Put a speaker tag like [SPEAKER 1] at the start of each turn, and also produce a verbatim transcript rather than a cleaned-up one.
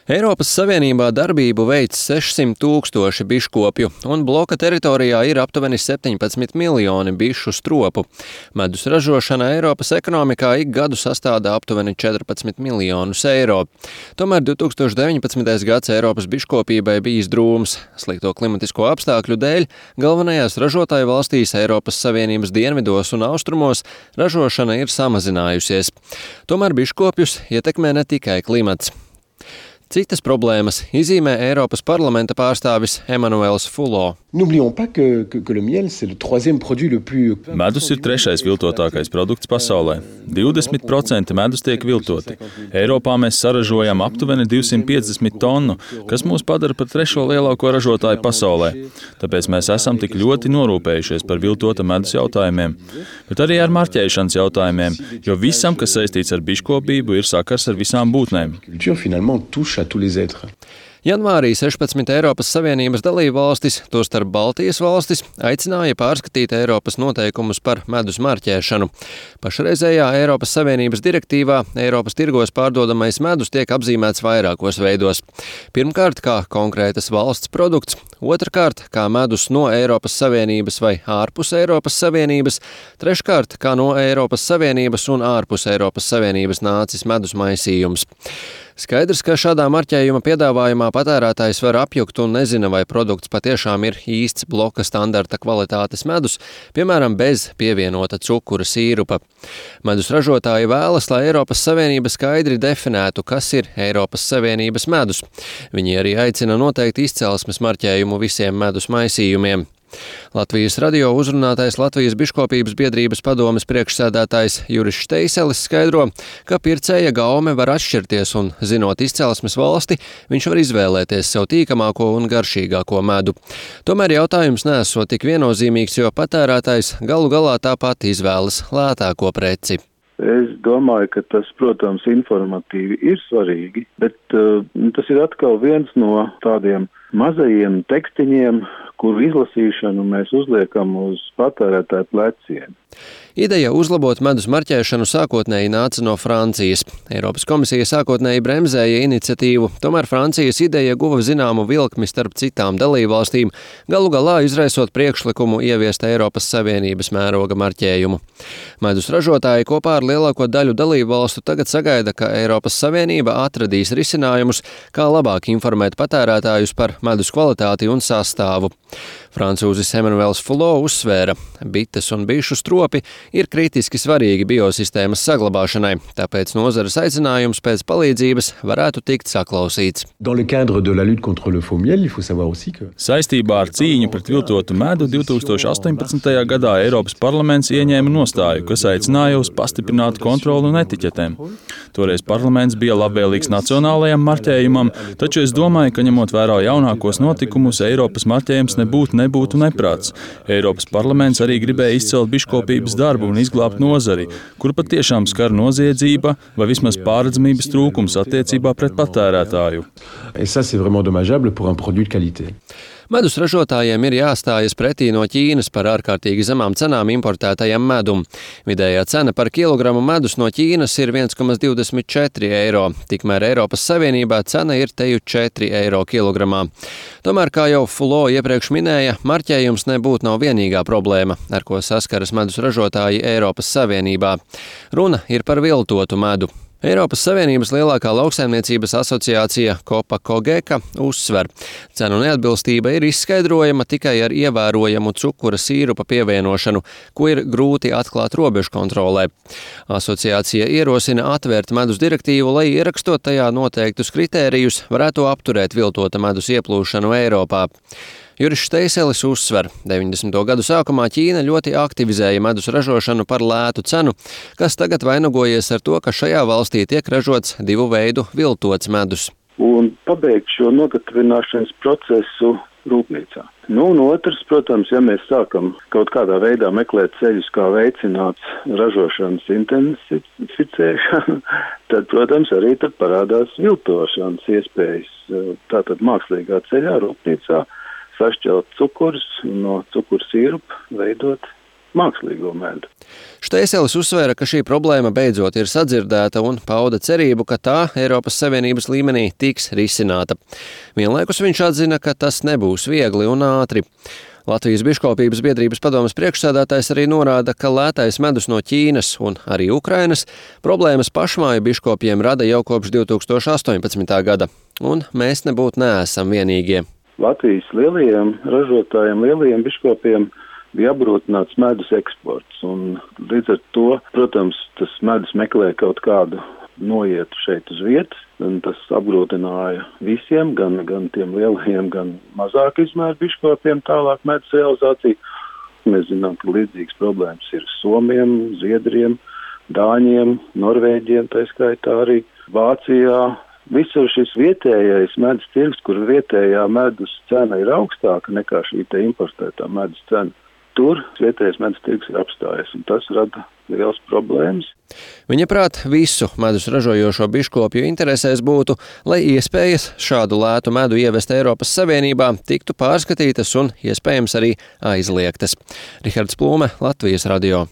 [SPEAKER 1] Eiropas Savienībā darbību veic sešsimt tūkstoši biškopju, un bloka teritorijā ir aptuveni septiņpadsmit miljoni bišu stropu. Medus ražošana Eiropas ekonomikā ik gadu sastāda aptuveni četrpadsmit miljonus eiro. Tomēr divs tūkstoš deviņpadsmitais gads Eiropas biškopībai bijis drūms. Slikto klimatisko apstākļu dēļ galvenajās ražotāju valstīs Eiropas Savienības dienvidos un austrumos ražošana ir samazinājusies. Tomēr biškopjus ietekmē ne tikai klimats. Citas problēmas izzīmē Eiropas parlamenta pārstāvis Emanuels Fulo.
[SPEAKER 2] Medus ir trešais viltotākais produkts pasaulē. divdesmit procenti medus tiek viltoti. Eiropā mēs saražojam aptuveni divsimt piecdesmit tonu, kas mūs padara par trešo lielāko ražotāju pasaulē. Tāpēc mēs esam tik ļoti norūpējušies par viltota medus jautājumiem, bet arī ar marķēšanas jautājumiem, jo visam, kas saistīts ar biškopību, ir sakars ar visām būtnēm.
[SPEAKER 1] Janvārī sešpadsmit Eiropas Savienības dalībvalstis, tostarp Baltijas valstis, aicināja pārskatīt Eiropas noteikumus par medus marķēšanu. Pašreizējā Eiropas Savienības direktīvā Eiropas tirgos pārdodamais medus tiek apzīmēts vairākos veidos. Pirmkārt, kā konkrētas valsts produkts, otrkārt, kā medus no Eiropas Savienības vai ārpus Eiropas Savienības, treškārt, kā no Eiropas Savienības un ārpus Eiropas Savienības nācis medus maisījums. Skaidrs, ka šādā marķējuma piedāvājumā patērētājs var apjukt un nezina, vai produkts patiešām ir īsts bloka standarta kvalitātes medus, piemēram, bez pievienota cukura sīrupa. Medus ražotāji vēlas, lai Eiropas Savienība skaidri definētu, kas ir Eiropas Savienības medus. Viņi arī aicina noteikt izcelsmes marķējumu visiem medus maisījumiem. Latvijas radio uzrunātais Latvijas biškopības biedrības padomes priekšsēdētājs Juris Šteiselis skaidro, ka pircēja gaume var atšķirties un, zinot izcelsmes valsti, viņš var izvēlēties sev tīkamāko un garšīgāko medu. Tomēr jautājums neesot tik viennozīmīgs, jo patērētājs galu galā tāpat izvēlas lētāko preci.
[SPEAKER 3] Es domāju, ka tas, protams, informatīvi ir svarīgi, bet uh, tas ir atkal viens no tādiem mazajiem tekstiņiem, kuru izlasīšanu mēs uzliekam uz patērētāju pleciem.
[SPEAKER 1] Ideja uzlabot medus marķēšanu sākotnēji nāca no Francijas. Eiropas komisija sākotnēji bremzēja iniciatīvu, tomēr Francijas ideja guva zināmu vilkmi starp citām dalībvalstīm, galu galā izraisot priekšlikumu ieviest Eiropas Savienības mēroga marķējumu. Medus ražotāji kopā ar lielāko daļu dalībvalstu tagad sagaida, ka Eiropas Savienība atradīs risinājumus, kā labāk informēt patērētājus par medus kvalitāti un sastāvu. Francūzis Emanuels Fulo uzsvēra, bites un bišu stropi ir kritiski svarīgi biosistēmas saglabāšanai, tāpēc nozares aicinājums pēc palīdzības varētu tikt saklausīts.
[SPEAKER 2] Saistībā ar cīņu pret viltotu medu divs tūkstoš astoņpadsmitajā gadā Eiropas parlaments ieņēma nostāju, kas aicināja uz pastiprinātu kontroli un etiķetēm. Toreiz parlaments bija labvēlīgs nacionālajam marķējumam, taču es domāju, ka ņemot vērā jaunākos notikumus, Eiropas marķējums nebūtu nebūtu neprāts. Eiropas parlaments arī gribēja izcelt biškopības darbu un izglābt nozari, kur patiešām skar noziedzība vai vismaz pārredzamības trūkums attiecībā pret patērētāju.
[SPEAKER 1] Medus ražotājiem ir jāstājas pretī no Ķīnas par ārkārtīgi zemām cenām importētajam medum. Vidējā cena par kilogramu medus no Ķīnas ir viens komats divdesmit četri eiro, tikmēr Eiropas Savienībā cena ir teju četri eiro kilogramā. Tomēr, kā jau Fulo iepriekš minēja, marķējums nebūtu nav vienīgā problēma, ar ko saskaras medus ražotāji Eiropas Savienībā. Runa ir par viltotu medu. Eiropas Savienības lielākā lauksaimniecības asociācija Copa Cogeca uzsver, cenu neatbilstība ir izskaidrojama tikai ar ievērojamu cukura sīrupa pievienošanu, ko ir grūti atklāt robežu kontrolē. Asociācija ierosina atvērt medus direktīvu, lai ierakstot tajā noteiktus kritērijus, varētu apturēt viltota medus ieplūšanu Eiropā. Juris Šteiselis uzsver, deviņdesmito gadu sākumā Ķīna ļoti aktivizēja medus ražošanu par lētu cenu, kas tagad vainagojies ar to, ka šajā valstī tiek ražots divu veidu viltots medus.
[SPEAKER 3] Un pabeigt šo nogatavināšanas procesu rūpnīcā. Nu, un otrs, protams, ja mēs sākam kaut kādā veidā meklēt ceļus, kā veicināt ražošanas intensificēšanu, tad, protams, arī tad parādās viltošanas iespējas. Tātad mākslīgā ceļā rūpnīcā sašķelt cukurus un no cukura sīrupa veidot mākslīgo medu.
[SPEAKER 1] Šteiselis uzsvēra, ka šī problēma beidzot ir sadzirdēta un pauda cerību, ka tā Eiropas Savienības līmenī tiks risināta. Vienlaikus viņš atzina, ka tas nebūs viegli un ātri. Latvijas biškopības biedrības padomes priekšsēdētājs arī norāda, ka lētais medus no Ķīnas un arī Ukrainas problēmas pašmāju biškopiem rada jau kopš divi tūkstoši astoņpadsmitā gada, un mēs nebūtu neesam vienīgie.
[SPEAKER 3] Latvijas lielajiem ražotājiem, lielajiem biškopiem bija apgrūtināts medus eksports, un līdz ar to, protams, tas medus meklē kaut kādu noietu šeit uz vietas, un tas apgrūtināja visiem, gan, gan tiem lielajiem, gan mazāk izmēru biškopiem tālāk medus realizāciju. Mēs zinām, ka līdzīgas problēmas ir Somiem, Zviedriem, Dāņiem, Norvēģiem, tā skaitā arī Vācijā. Visur šis vietējais medus tirgs, kur vietējā medus cena ir augstāka nekā šī te importētā medus cena, tur vietējais medus tirgs ir apstājies, un tas rada liels problēmas.
[SPEAKER 1] Viņa prāt, visu medus ražojošo biškopju interesēs būtu, lai iespējas šādu lētu medu ievest Eiropas Savienībā tiktu pārskatītas un iespējams arī aizliegtas. Rihards Plūme, Latvijas radio.